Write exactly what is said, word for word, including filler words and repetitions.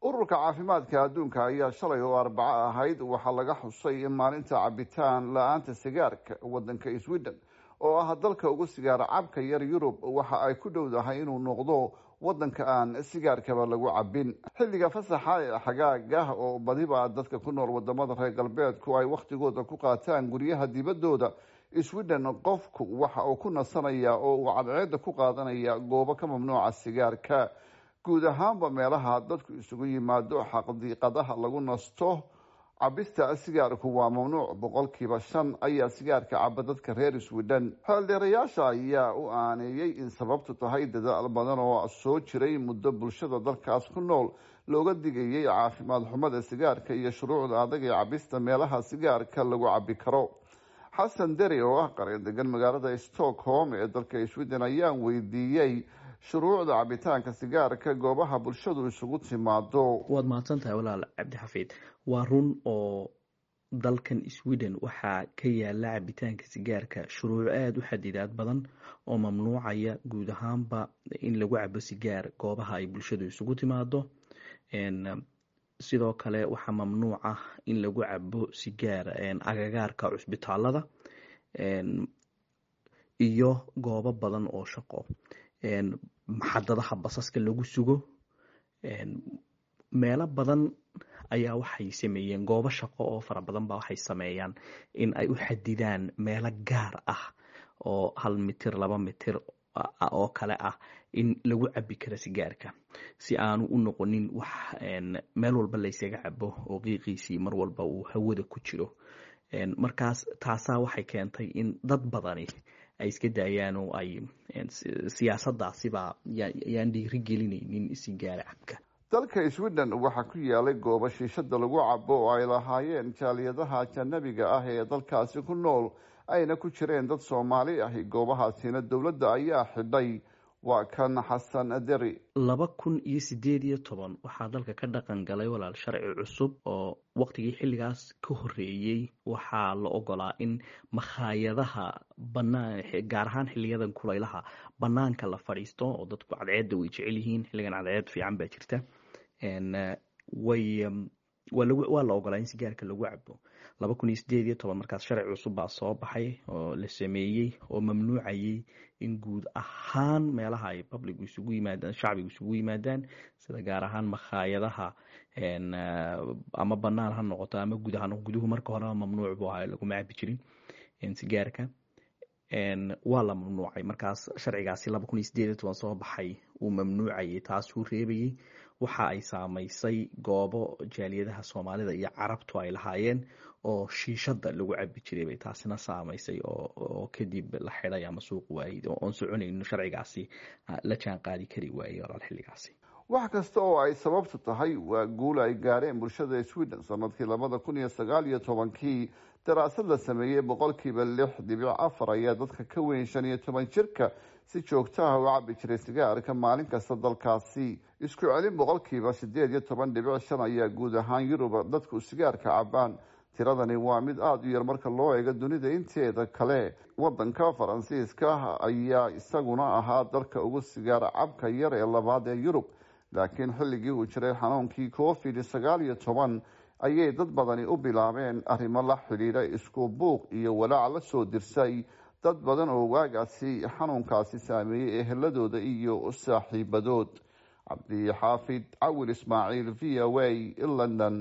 Ururka Caafimaadka Adduunka ayaa shalay oo Arbaco ahayd waxaa laga xusay maalinta cabitaan la-aanta sigaarka. Wadanka Sweden oo ah dalka ugu sigaar cabka yar Yurub waxa ay ku dhowdahay inuu noqdo wadanka aan sigaarkaba lagu cabin xilliga fasaxa ee xagaaga, oo badiba dadka ku nool wadamada reer galbeedku ay wakhtigooda ku qaataan guryaha dibaddooda. Sweden qofku waxa uu ku nasanaya oo uu cadceeda ku qaadanaya goobo ka mamnuuca sigaarka. Guud ahaanba meelaha dadku isugu yimaado, xadiiqadaha lagu nasto, cabista sigaarku waa mamnuuc. Boqolkiiba shan ayaa sigaarka caba dadka reer Sweden. Xeeldheerayaasha ayaa u aaneeyey in sababtu tahay dadaal badan oo soo jiray muddo bulshada dalkaas ku nool looga digayay caafimaad xumada sigaarka iyo shuruucda adag ee cabista meelaha sigaarka lagu cabi karo. Xasan Deri oo ah qareen degan magaalada Stockholm ee dalka Sweden ayaan weydiiyey shuruucda cabitaanka sigaarka goobaha bulshadu isugu timaado. Waad mahadsan tahay, walaal Cabdixafiid. Waa run oo dalkan Sweden waxaa ka yaala cabitaanka sigaarka shuruuc aada u xadidaad badan oo mamnuucaya guud ahaanba in lagu cabo sigaar goobaha ay bulshadu isugu timaado. Sidoo kale waxaa mamnuuc ah in lagu cabo sigaar agagaarka cusbitaalada iyo goobo badan oo shaqo, maxadadaha basaska lagu sugo. Meelo badan ayaa waxay sameeyeen, goobo shaqo oo fara badan ba waxay sameeyaan in ay u xadidaan meelo gaar ah oo hal mitir, laba mitir oo kale ah in lagu cabi karo sigaarka, si aanu u noqonin wax meel walba laysaga cabo oo qiiqiisii mar walba uu hawada ku jiro. Markaas taasaa waxay keentay in dad badani ay iska daayaan oo ay siyaasadaasiba yaan dhiiri gelinaynin sigaar cabka. Dalka Sweden waxaa ku yaalay goobo shiishada lagu cabo oo ay lahaayeen jaaliyadaha ajanabiga ah ee dalkaasi ku nool, ayna ku jireen dad Soomaali ahi. Goobahaasina dowladda ayaa xidhay. Waa kan Xasan Deri. Laba kun iyo sideed iyo toban waxaa dalka ka dhaqan galay, walaal, sharci cusub oo waqtigii xilligaas ka horeeyey waxaa la ogolaa in makhaayadaha banaan, gaar ahaan xiliyadan kulaylaha, banaanka la fadhiisto oo dadku cadceedda way jecel yihiin. Xilligan cadceed fiican baa jirta, way waa la ogolaa in sigaarka lagu cabo. Laba kun iyo sideed iyo toban markaas sharci cusub baa soo baxay oo la sameeyey oo mamnuucayay in guud ahaan meelaha ay public isugu yimaadaan, shacbigu isugu yimaadaan, sida gaar ahaan makhaayadaha, ama banaan ha noqoto ama gudaha. Guduhu marka horeba mamnuuc buu ahaa, laguma cabi jirin sigaarka, waa la mamnuucay. Markaas sharcigaasi laba kun iyo sideed iyo toban soo baxay uu mamnuucayay, taasuu reebayay. Waxa ay saamaysay goobo jaaliyadaha Soomaalida iyo Carabtu ay lahaayeen oo shiishada lagu cabi jiray bay taasina saamaysay, oo kadib la xidhay ama suuq waayey oon soconayno, sharcigaasi la jaan qaadi kari waayey, walaal, xilligaasi. Wax kasta oo ay sababtu tahay, waa guul ay gaareen bulshada Sweden. Sanadkii labada kun iyo sagaal iyo tobankii daraasad la sameeyey, boqolkiiba lix dhibic afar ayaa dadka ka weyn shan iyo toban jirka si joogtaha u cabi jiray sigaarka maalin kasta dalkaasi. Isku celin boqolkiiba sideed iyo toban dhibic shan ayaa guud ahaan Yurub dadku sigaarka cabaan. Tiradani waa mid aada u yar marka loo eego dunida inteeda kale. Wadanka Faransiiska ayaa isaguna ahaa dalka ugu sigaar cabka yar ee labaad ee Yurub, laakiin xilligii uu jiray xanuunkii Covid sagaal iyo toban ayay dad badani u bilaabeen arrimo la xidhiidha isku buuq iyo walaac la soo dirsay dad badan oo waagaasi xanuunkaasi saameeyey eheladooda iyo saaxiibadood. Cabdixaafid Cawil Ismaaciil, V O A, London.